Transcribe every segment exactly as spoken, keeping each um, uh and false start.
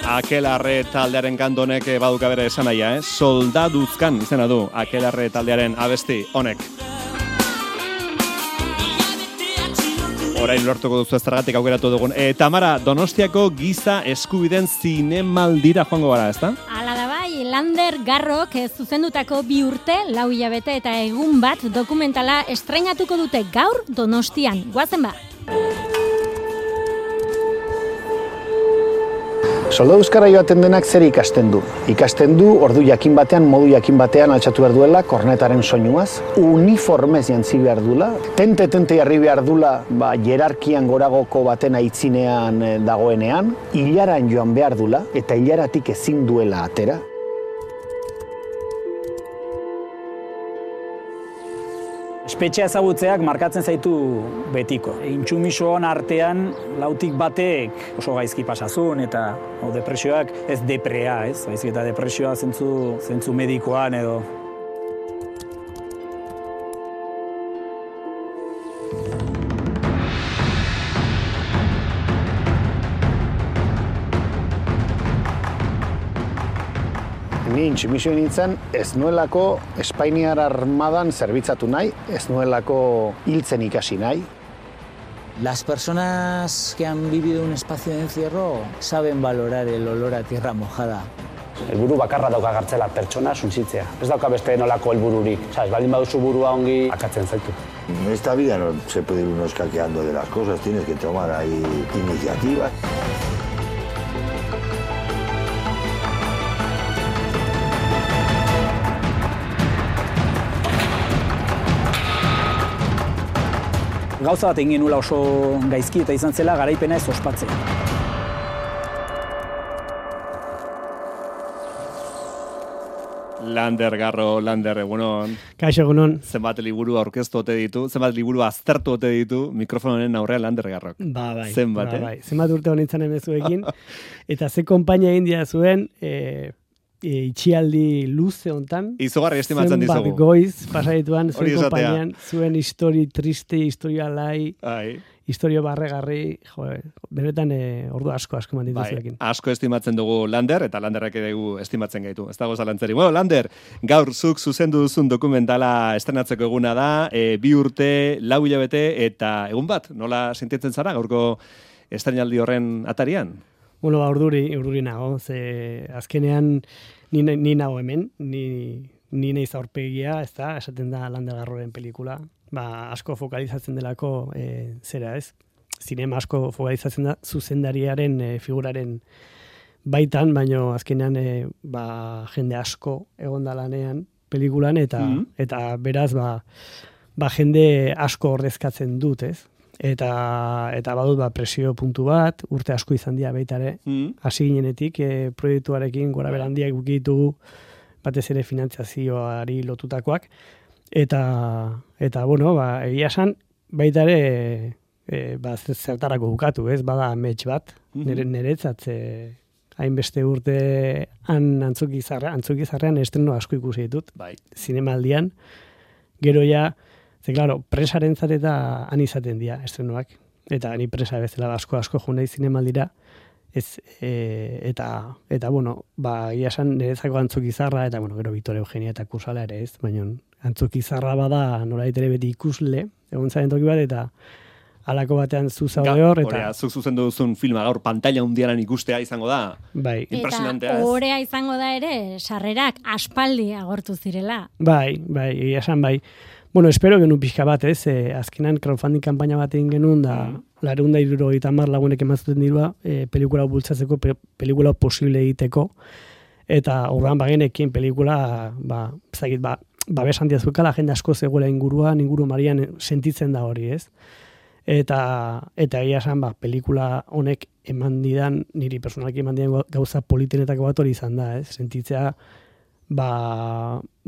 Akelarre taldearen kantonek baduka bere esanaia, eh? Soldaduzkan izena du Akelarre taldearen abesti honek. Orain lortuko duzu eztergatik aukeratu dugun. E, Tamara, Donostiako giza eskubiden zinemaldira joango gara, ezta? Hala da bai, Lander Garrok zuzendutako bi urte, lau hilabete eta egun bat dokumentala estreinatuko dute gaur Donostian. Goazen ba! Soldaduzkara joaten denak zer ikasten du. Ikasten du ordu jakin batean, modu jakin batean altxatu behar duela, kornetaren soinuaz, uniformez jantzi behar dula, tente-tente jarri behar dula, ba, jerarkian goragoko baten aitzinean dagoenean, hilaran joan behar dula, eta hilaratik ezin duela atera. Espetxea ezagutzeak markatzen zaitu betiko. Intsumisoan artean lautik batek oso gaizki pasazun eta o, depresioak ez deprea, ez? Baizik eta depresioa zentzu, zentzu medikoan edo. Ni intsumisio nintzen ez nuelako Espainiar armadan zerbitzatu nahi, ez nuelako hiltzen ikasi nahi. Las personas que han vivido un espacio de encierro saben valorar el olor a tierra mojada. Helburu bakarra dauka gartzela pertsona suntsitzea. Ez dauka beste nolako helbururik. Sabes, baldin baduzu burua ongi akatzen zaitu. En esta vida no se puede ir uno escaqueando de las cosas, tienes que tomar ahí iniciativas. Gauza bat egin nula oso gaizki eta izan zela garaipena ez ospatzea. Lander Garro, Lander, egunon. Kaixo, egunon. Zenbat liburu aurkeztu ote ditu, zenbat liburu aztertu ote ditu mikrofononen aurrean Lander Garrok. Ba, bai. Zenbat, ba, eh? Bai. Zenbat urte honintzen emezuekin. Eta ze konpainia india zuen, e, e, itxialdi luze hontan. Izugarri estimatzen dizugu. Zenbat goiz, pasaituan, zuen konpainian, zuen histori triste, historia lai. Ai. Historio barregarri, jo, benetan e, ordu asko asko manditu bai, zuekin. Asko estimatzen dugu Lander, eta Landerrek dugu estimatzen gaitu. Ez dago zalantzeri. Bueno, Lander, gaur zuk zuzendu duzun dokumentala estrenatzeko eguna da, e, bi urte, lau hilabete, eta egun bat, nola sentitzen zara gaurko estreinaldi horren atarian? Bueno, ba, urduri, urduri nago, ze azkenean ni, ni nago hemen, ni, ni naiz aurpegia, ez da, esaten da Lander Garroren pelikula. Ba, asko fokalizatzen delako e, zera ez, zinema asko fokalizatzen da zuzendariaren e, figuraren baitan, baino azkenean e, ba, jende asko egon da lanean pelikulan, eta, mm-hmm. eta beraz ba, ba, jende asko ordezkatzen dut, ez? Eta, eta badut ba, presio puntu bat, urte asko izan dira baita ere, mm-hmm. hasi ginenetik e, proiektuarekin gora berandiak gukitugu, batez ere finantziazioari lotutakoak, Eta, eta bueno, ba, egia esan, baita ere e, ba, zertarako bukatu, ez? Bada amets bat, nire, niretzat hainbeste urte han antzukizarrean, antzukizarrean estreno asko ikusi ditut, bai. Zinemaldian, gero ja, ze, claro, presaren zateta han izaten dira estrenoak, eta ni presa bezala asko asko jo nahi zinemaldira, ez, e, eta, eta, bueno, ba, egia esan niretzako antzukizarra, eta, bueno, gero Victoria Eugenia eta Kursala ere ez, baina antzukizarra bada nolait ere beti ikusle, egon zaren toki bat, eta halako batean zu zaude hor. Eta Horea, zuk zuzendu duzun filma gaur pantalla hundiaran ikustea izango da. Bai. Impresionantea. Eta horea izango da ere, sarrerak aspaldi agortu zirela. Bai, bai, egia esan bai. Bueno, espero genuen pixka bat, ez, e, azkenan crowdfunding kampaina bat egin genuen, da, mm. lareunda hirurogeita hamar lagunek emazuten dirua, e, pelikula bultzatzeko, pe, pelikula posible egiteko, eta horrean bagenekin pelikula, ba, zagit, ba, babes handia zuekala, jende asko zegoela inguruan, inguru marian sentitzen da hori, ez? Eta, eta egia esan, ba, pelikula honek eman didan, niri personalki eman didan gauza politenetako bat hori izan da, ez? Sentitzea, ba,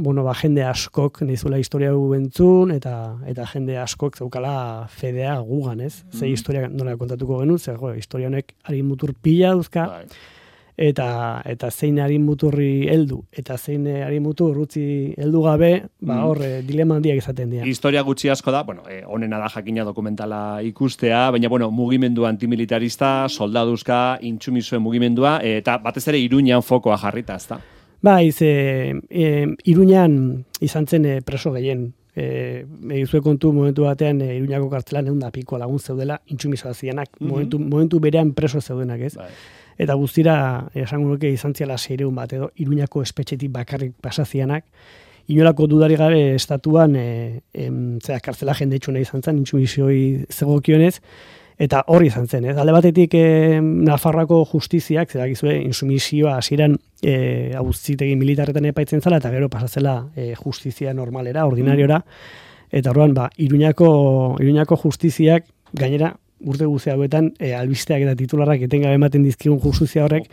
bueno, ba, jende askok nizula historia gu bentzun, eta, eta jende askok zeukala fedea gugan, ez? Mm. Ze historia nola kontatuko genuen, ze, jo, historia honek ari mutur pila duzka, Bai. eta eta zein harin muturri heldu eta zein harin mutur utzi heldu gabe, ba hor mm. dilema handiak izaten dira. Historia gutxi asko da, bueno, eh, onena da jakina dokumentala ikustea, baina bueno, mugimendu antimilitarista, soldaduzka, intsumisuen mugimendua eta batez ere Iruñan fokoa jarrita, ezta? Bai, ze e, Iruñan izan zen e, preso gehien. Eh, egizue kontu momentu batean e, Iruñako kartzelan ehun da piko lagun zeudela intsumisoa zianak, mm-hmm. momentu, momentu berean preso zeudenak, ez? Bai. Eta guztira, esango nuke izan ziala seireun bat edo, Iruñako espetxetik bakarrik pasazianak, inolako dudari gabe estatuan, e, em, zera, kartzela jendetxuna izan zen, intsumisoi zegokionez, eta hori izan zen, ez? Alde batetik e, Nafarroako justiziak, zera gizue, intsumisioa hasieran e, auzitegi militarretan epaitzen zela, eta gero pasatzela e, justizia normalera, ordinariora, eta orduan, ba, Iruñako, Iruñako justiziak, gainera, urte guzti hauetan e, albisteak eta titularrak etengabe ematen dizkigun justizia horrek,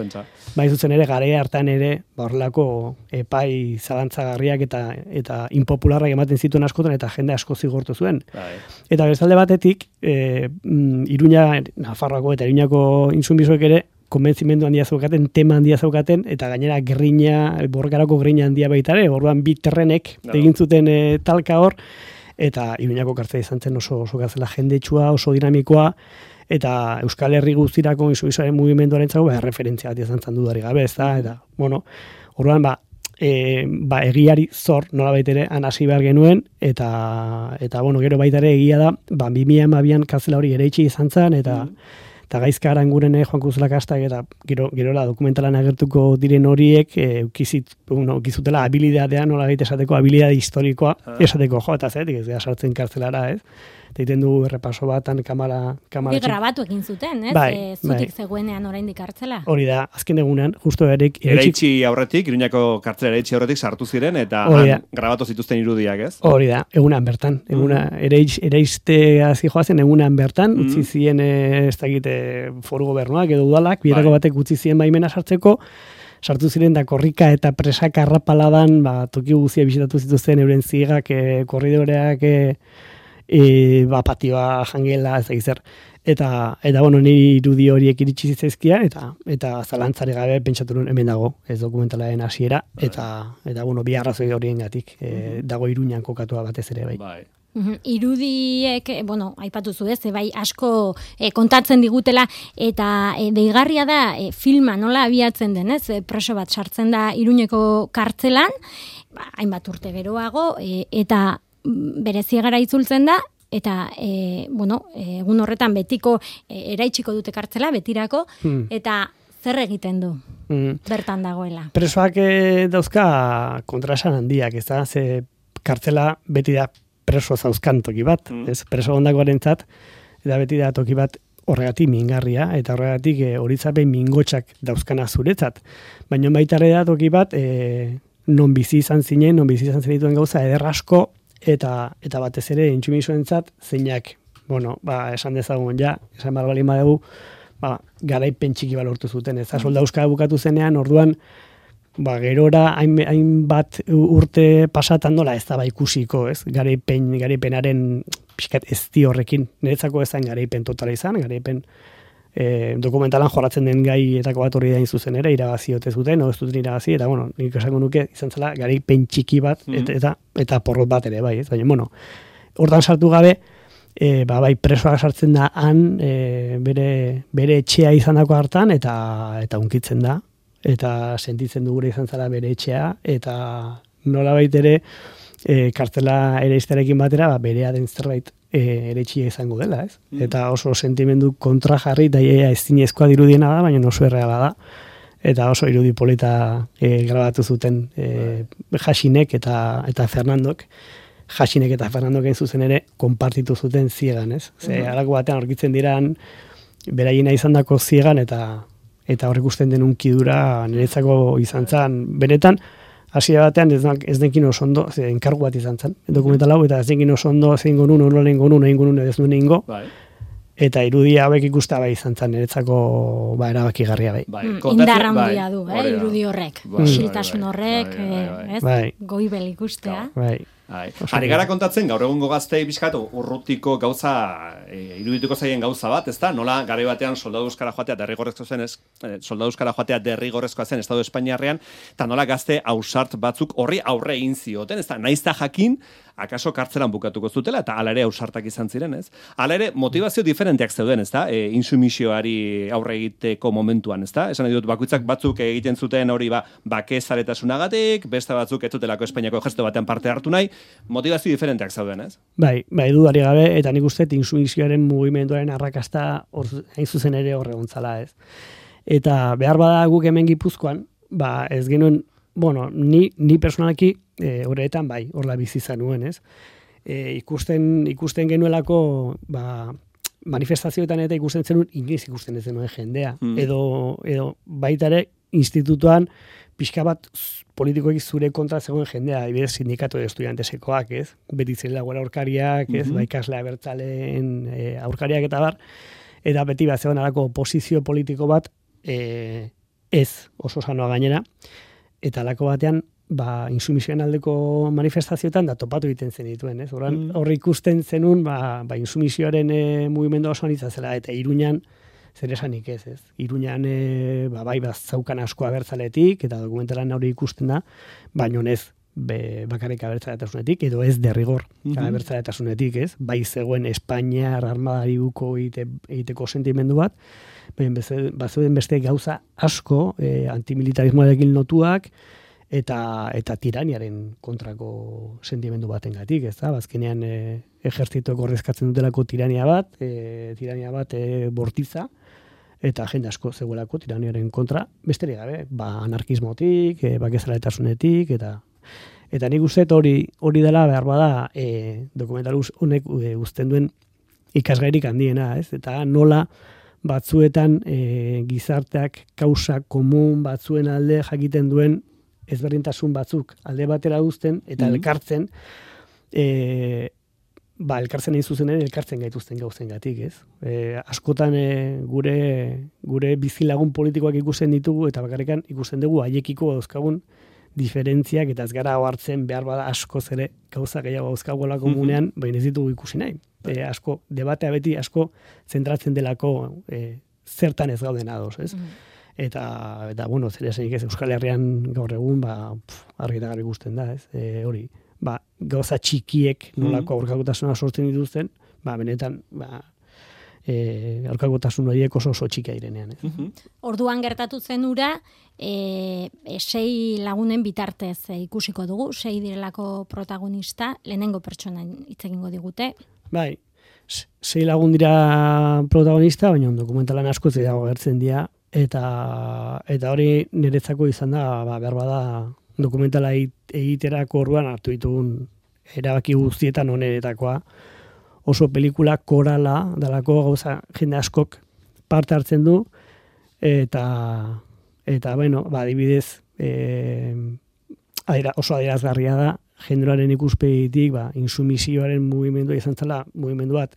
bai zuzen ere garaia hartan ere ba horrelako epai zalantzagarriak eta eta inpopularrak ematen zituen askotan eta jende asko zigortu zuen. Bai. Eta bestalde batetik, e, Iruña, Nafarroako eta Iruñako intsumisoek ere konbentzimendu handia zeukaten, tema handia zeukaten, eta gainera gerrina, borrokarako gerrina handia baita ere, orduan bi terrenek no. egin zuten e, talka hor, eta Iruñako kartzela izan zen oso, oso gazela jendetsua, oso dinamikoa, eta Euskal Herri guztirako intsumisoaren mugimenduaren zago, ba, referentzia bat izan zen dudari gabe, ez da, eta, bueno, orduan, ba, e, ba, egiari zor, nola baitere, anasi behar genuen, eta, eta bueno, gero baita ere egia da, ba, bi mila hamabian kartzela hori ere itxi izan zen, eta, mm. eta gaizka arangurene Juan Cruz Lakastak eta gero gerola dokumentalan agertuko diren horiek e, ukizit, bueno, ukizutela habilidadea, nola gaite esateko habilidade historikoa, esateko jo, eta zetik ez gara sartzen kartzelara, ez? Eta egiten du errepaso batan kamara... kamara grabatu egin zuten, ez? Bai, e, zutik bai. zegoenean oraindik kartzela. Hori da, azken egunean, justo erik... Eraitsi aurretik, Iruñako kartzela eraitsi aurretik sartu ziren, eta han grabatu zituzten irudiak, ez? Hori da, egunan bertan. Eguna, mm. eraitz, eraiztea zijoazen egunan bertan, mm. utzi zien ez dakite foru gobernuak edo udalak, bietako bai. batek utzi zien baimena sartzeko, sartu ziren da korrika eta presaka arrapaladan, ba, toki guzia bisitatu zituzten euren zigak, e, korridoreak, e, E, ba, patioa, jangela, ez da zer. Eta, eta bueno, niri irudi horiek iritsi zitzaizkia, eta eta zalantzare gabe pentsatu nuen hemen dago, ez dokumentalaren hasiera, eta, eta bueno, bi arrazoi horiengatik e, dago Iruñan kokatua batez ere bai. Bai. Irudiek, bueno, aipatu zu ez, bai asko e, kontatzen digutela, eta e, deigarria da e, filma nola abiatzen den, ez, e, preso bat sartzen da Iruñeko kartzelan, ba, hainbat urte geroago, e, eta bereziegara itzultzen da, eta e, bueno, egun horretan betiko e, eraitsiko dute kartzela, betirako, hmm. eta zer egiten du hmm. bertan dagoela. Presoak e, dauzka kontrasan handiak, ez da, ze kartzela beti da preso zauzkan toki bat, hmm. ez, preso ondakoaren zat, eta beti da toki bat horregatik mingarria, eta horregatik e, horitzapen mingotxak dauzkana zuretzat. Baina baita ere da toki bat, e, non bizi izan zinen, non bizi izan zenituen gauza, ederrasko, eta eta batez ere intsumisoentzat zeinak, bueno, ba, esan dezagun ja, esan behar balin badugu, ba, garaipen txiki balortu zuten, ez da, soldauska bukatu zenean, orduan, ba, gerora hainbat urte pasatan nola ez da ba ikusiko, ez, garaipen, garaipenaren pixkat ez di horrekin, niretzako ez zain garaipen totala izan, garaipen E, dokumentalan jorratzen den gai etako bat hori dain zuzen ere, irabazi ote zuten, o ez duten irabazi, eta bueno, nik esango nuke izan zela garaipen txiki bat, mm-hmm. eta, eta, eta porrot bat ere, bai, ez, baina, bueno, hortan sartu gabe, e, ba, bai, presoak sartzen da han, e, bere, bere etxea izan dako hartan, eta, eta unkitzen da, eta sentitzen du gure izan zela bere etxea, eta nola baitere, e, kartela ere izterekin batera, ba, berea den zerbait, E, ere txia izango dela, ez? Mm. Eta oso sentimendu kontra jarri, eta ea ez zinezkoa dirudiena da, baina oso erreala da. Eta oso irudi polita e, grabatu zuten e, Jasinek eta eta Fernandok. Jasinek eta Fernandok egin zuzen ere, konpartitu zuten ziegan, ez? Ze, mm. alako batean aurkitzen diran, beraiena izan dako ziegan, eta eta horrek usten den unkidura niretzako izan zen, benetan, hasia batean ez, ez denkin oso ondo, ze, enkargu bat izan zen, dokumental hau, eta ez denkin oso ondo, zein gonun, nola ingo nun, egin gonun, ez nuen ingo, bai. Eta irudia hauek ikusta bai izan zen, niretzako ba, erabakigarria bai. bai. Indar handia du, eh, irudi horrek, bai, xiltasun horrek, bai, bai, bai, bai. Ez, bai. goibel ikustea. Bai. Ari gara kontatzen, gaur egungo gaztei bizkatu urrutiko gauza, e, irudituko zaien gauza bat, ez da? Nola, garai batean soldadu euskara joatea derrigorrezko zen, ez, soldadu euskara joatea derrigorrezkoa zen Estado Espainiarrean, eta nola gazte ausart batzuk horri aurre egin zioten, ez da? Naizta jakin, akaso kartzelan bukatuko zutela, eta ala ere ausartak izan ziren, ez? Ala ere, motivazio diferenteak zeuden, ez da? E, insumisioari aurre egiteko momentuan, ez da? Esan dut, bakoitzak batzuk egiten zuten hori ba, bake zaretasunagatik, beste batzuk ez zutelako Espainiako ejertzito batean parte hartu nahi, motivazio diferenteak zauden, ez? Bai, bai, dudari gabe, eta nik uste insumisioaren mugimenduaren arrakasta hor, hain zuzen ere horre gontzala, ez? Eta behar bada guk hemen Gipuzkoan, ba, ez genuen, bueno, ni, ni personalaki, e, horretan, bai, horla bizi zanuen, ez? E, ikusten, ikusten genuelako, ba, manifestazioetan eta ikusten zenuen, inoiz ikusten ez zenuen jendea. Mm. Edo, edo baita ere, institutuan, pixka bat politikoek zure kontra zegoen jendea, adibidez sindikatu de estudiantesekoak, ez? Beti zirela gora aurkariak, ez? Mm-hmm. Ba, ikasle abertzaleen e, aurkariak eta bar, eta beti bat zegoen alako oposizio politiko bat, e, ez oso sanoa gainera, eta alako batean, ba, insumisioen aldeko manifestazioetan da topatu egiten zen dituen, ez? Horren, mm. Horri ikusten zenun, ba, ba insumisioaren e, mugimendu oso anitzazela, eta Iruñan, zer esanik ez, ez? Iruñan, e, ba, bai, bazaukan asko abertzaletik, eta dokumentalan hori ikusten da, baino ez, be, bakarrik abertzaletasunetik, edo ez derrigor mm-hmm. abertzaletasunetik, ez? Bai zegoen Espainiar armadari buko egite, egiteko sentimendu bat, bazuen beste gauza asko, e, antimilitarismoarekin lotuak, eta eta tiraniaren kontrako sentimendu batengatik, ez da? Bazkenean e, ejertzitoek ordezkatzen dutelako tirania bat, e, tirania bat e, bortiza, eta jende asko zegoelako tiraniaren kontra, besterik gabe, ba, anarkismotik, e, bakezaletasunetik, eta eta nik uste hori hori dela behar bada e, dokumental honek e, uzten duen ikasgairik handiena, ez? Eta nola batzuetan e, gizarteak kausa komun batzuen alde jakiten duen ezberdintasun batzuk alde batera uzten eta mm-hmm. elkartzen e, ba, elkartzen egin zuzen ere elkartzen gaituzten gauzengatik, ez? E, askotan e, gure gure bizilagun politikoak ikusten ditugu eta bakarrikan ikusten dugu haiekiko dauzkagun diferentziak eta ez gara hartzen behar bada askoz ere gauza gehiago dauzkagola komunean, mm-hmm. baina ez ditugu ikusi nahi. E, asko, debatea beti asko zentratzen delako e, zertan ez gauden ados, ez? Mm-hmm. Eta, eta, bueno, zer esanik ez, Euskal Herrian gaur egun, ba, argi eta garbi ikusten da, ez? E, hori, ba, gauza txikiek nolako aurkakotasuna sortzen dituzten, ba, benetan, ba, e, aurkakotasun horiek oso oso txikia direnean, ez? Mm-hmm. Orduan gertatu zen ura, e, e, sei lagunen bitartez e, ikusiko dugu, sei direlako protagonista, lehenengo pertsonan hitz egingo digute. Bai, sei lagun dira protagonista, baina dokumentalan asko ez dago gertzen dira, eta eta hori niretzako izan da, ba, behar bada dokumentala egiterako orduan hartu ditugun erabaki guztietan oneretakoa, oso pelikula korala dalako gauza jende askok parte hartzen du, eta eta bueno, ba, adibidez e, adira, oso adierazgarria da jendearen ikuspegitik, ba, insumisioaren mugimendua izan zela, mugimendu bat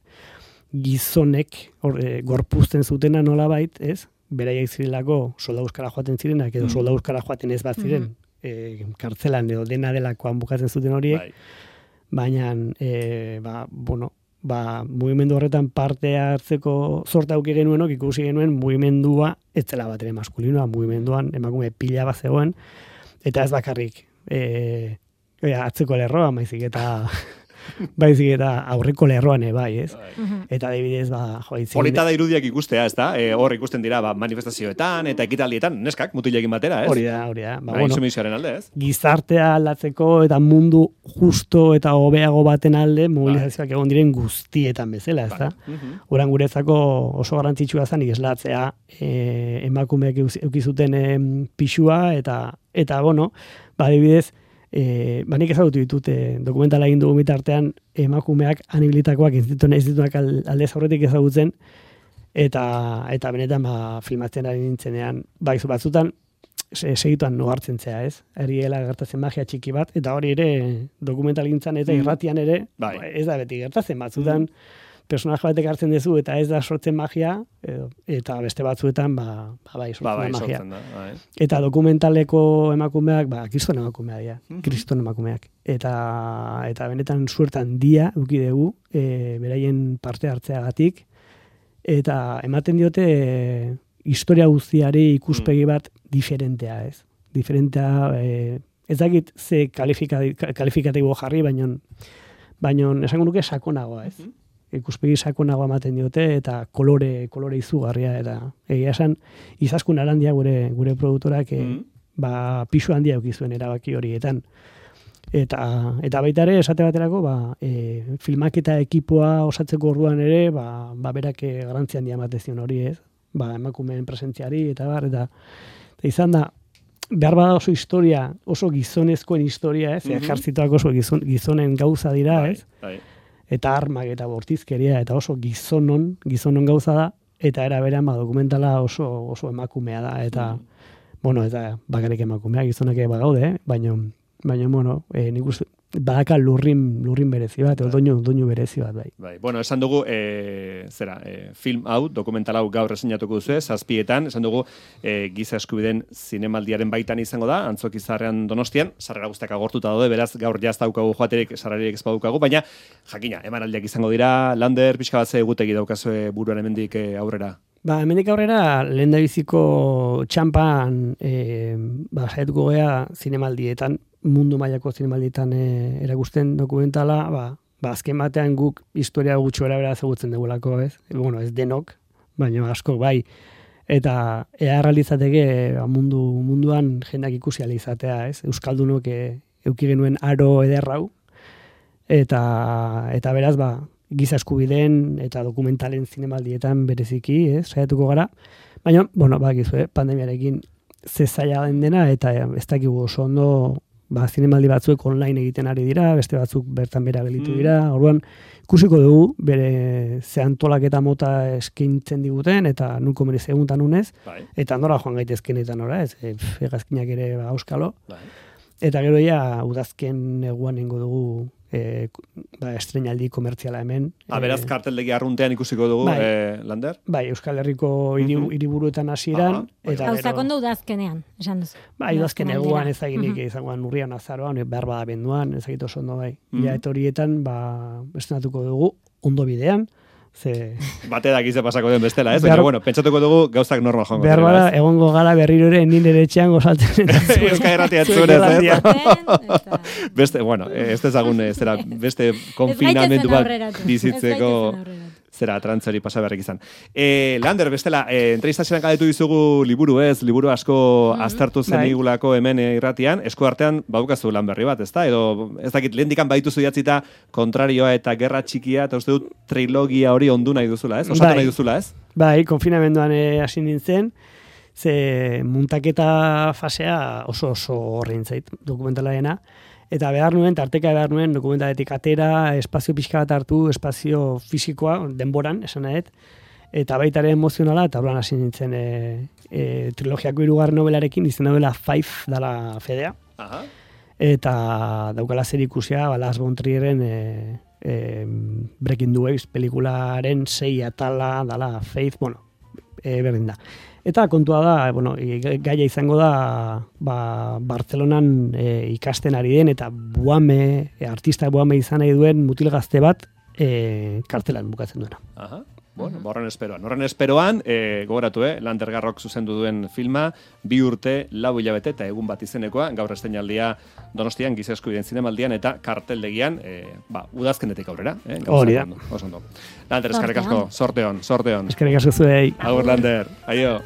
gizonek or, e, gorpuzten zutena nolabait, ez? Beraiek zirelako solda euskara joaten zirenak, edo solda euskara joaten ez bat ziren, mm-hmm. e, kartzelan edo dena delakoan bukatzen zuten horiek, bai. Baina, e, ba, bueno, ba, mugimendu horretan parte hartzeko zorta auki genuenok, ikusi genuen mugimendua ez zela bat ere maskulinoa, mugimenduan emakume pila bat zegoen, eta ez bakarrik e, e, atzeko lerroa, maizik eta baizik eta aurreko lerroan bai, ez? Uh-huh. Eta adibidez, ba, jo, itzin... Polita da irudiak ikustea, ez da? E, hor ikusten dira, ba, manifestazioetan eta ekitaldietan, neskak, mutilekin batera, ez? Hori da, hori da. Ba, bueno, insumisioaren alde, ez? Gizartea aldatzeko eta mundu justo eta hobeago baten alde, mobilizazioak egon diren guztietan bezala, ez da? Uh-huh. Oran guretzako oso garrantzitsua zen, islatzea e, emakumeak eukizuten e, pixua, eta, eta, bueno, ba, adibidez, E, banik ezagutu ditut e, dokumentala egin dugu bitartean emakumeak anibilitakoak ez ditunak, ez ditunak aldez aurretik ezagutzen eta eta benetan ba, filmatzen ari nintzenean baizu batzutan segituan nogartzen zea, ez? Ariela gertatzen magia txiki bat eta hori ere dokumental gintzan eta irratian ere bai. Ez da beti gertatzen batzutan personaje batek hartzen duzu eta ez da sortzen magia, edo, eta beste batzuetan, ba, ba bai, sortzen ba, bai, da magia. Sortzen da, bai. Eta dokumentaleko emakumeak, ba, kriston emakumeak dira, mm -hmm. kriston emakumeak. Eta, eta benetan suertan dia, uki dugu, e, beraien parte hartzeagatik, eta ematen diote e, historia guztiari ikuspegi bat diferentea, ez? Diferentea, e, ez dakit ze kalifikatibo jarri, baino, baino esango nuke sakonagoa, ez? Mm-hmm. Ikuspegi sakonagoa ematen diote, eta kolore, kolore izugarria, eta egia esan, Izaskun Arandia gure, gure produktorak, e, mm-hmm. ba, pisu handia eukizuen erabaki horietan. Eta, eta baita ere, esate baterako, ba, e, filmaketa ekipoa osatzeko orduan ere, ba, ba berak garrantzi handia ematezion hori, ez? Ba, emakumeen presentziari, eta bar, eta, eta izan da, behar bada oso historia, oso gizonezkoen historia, ez? Mm-hmm. Ejertzitoak oso gizon, gizonen gauza dira, ez? Bai, bai. Eta armak eta bortizkeria, eta oso gizonon, gizonon gauza da, eta era berean ba, dokumentala oso, oso emakumea da, eta, mm. bueno, eta bakarrik emakumea, gizonak eba gaude, eh? baina, baina, bueno, e, nik uste, badaka lurrin, lurrin berezi bat, bai. doinu, doinu berezi bat, bai. Bai, bueno, esan dugu, e, zera, e, film hau, dokumental hau gaur esinatuko duzu, zazpietan, esan dugu, e, giza eskubideen zinemaldiaren baitan izango da, Antzokizarrean Donostian, sarrera guztiak agortuta daude, beraz, gaur jaz daukagu joaterik, sarreriek ez badukagu, baina, jakina, emanaldiak izango dira, Lander, pixka bat ze egutegi daukazue buruan hemendik e, aurrera. Ba, hemendik aurrera, lehen da biziko txampan, e, ba, saietuko gea zinemaldietan, mundu mailako zinemaldietan e, erakusten dokumentala, ba, ba, azken batean guk historia gutxo erabera ezagutzen dugulako, ez? E, bueno, ez denok, baina asko bai. Eta ea realizateke ba, mundu, munduan jendak ikusi ala izatea, ez? Euskaldunok e, euki genuen aro ederrau, eta, eta beraz, ba, giza eskubideen eta dokumentalen zinemaldietan bereziki, ez? Saiatuko gara. Baina, bueno, ba, gizu, eh? pandemiarekin ze zaila den dena, eta ez dakigu oso ondo ba, zinemaldi batzuek online egiten ari dira, beste batzuk bertan bera gelitu dira, mm. orduan ikusiko dugu, bere ze antolaketa mota eskintzen diguten, eta nun komeniz eguntan unez, bai. Eta nora joan gaitezken eta nora, ez, e, egazkinak ere ba, auskalo, bai. Eta gero ja, udazken eguan ingo dugu, e, ba, estrenaldi komertziala hemen. Ah, beraz, e, karteldegi arruntean ikusiko dugu, bai, e, Lander? Bai, Euskal Herriko hiriburuetan hasieran. Gauzak ondo udazkenean, esan duzu. Bai, udazken eguan ezaginik uh -huh. izangoan urrian azaroan, behar bada benduan, ezagit oso ondo bai. Uh -huh. Ja, eta horietan, ba, estrenatuko dugu, ondo bidean, ze... Bate da gize pasako den bestela, ez? Baina, bueno, pentsatuko dugu gauzak normal joango. Behar bada, egongo gara berriro ere nire etxean gozaltzen. Euskal Herratia etzunez, ez? Beste, bueno, ez dezagun, zera, beste konfinamentu bat bizitzeko... Zera, trantzori pasa beharrik izan. E, Lander, bestela, e, entrevistazioan galdetu dizugu liburu ez, liburu asko mm-hmm. aztertu zen igulako hemen irratian, esku artean baukazu lan berri bat, ez da? Edo, ez dakit, lehen dikan baituzu idatzita kontrarioa eta gerra txikia, eta uste dut trilogia hori ondu nahi duzula, ez? Osatu bai. nahi duzula, ez? Bai, konfinamenduan hasi nintzen, ze muntaketa fasea oso oso horrein zait, dokumentalaena, eta behar nuen, tarteka behar nuen, dokumentaletik atera, espazio pixka bat hartu, espazio fisikoa, denboran, esan nahet, eta baita ere emozionala, eta holan hasi nintzen e, e, trilogiako hirugarren nobelarekin, izen novela Five dala fedea, Aha. eta daukala zer ikusia, ba, Lars von Trierren e, e, Breaking the Waves pelikularen sei atala dala Faith, bueno, e, berdin da. Eta kontua da, bueno, gaia izango da ba, Bartzelonan e, ikasten ari den, eta buame, e, artista buame izan nahi duen mutil gazte bat e, kartelan bukatzen duena. Aha. Bueno, horren esperoan. Horren esperoan, e, gogoratu, eh? Lander Garrok zuzendu duen filma, bi urte, lau hilabete eta egun bat izenekoa, gaur estreinaldia Donostian, giza eskubideen zinemaldian, eta karteldegian, e, ba, udazkenetik aurrera. Eh? Hori da. Oso ondo. Lander, eskerrik asko, sorteon, sorteon. Eskerrik asko zuei. Agur, Lander, aio.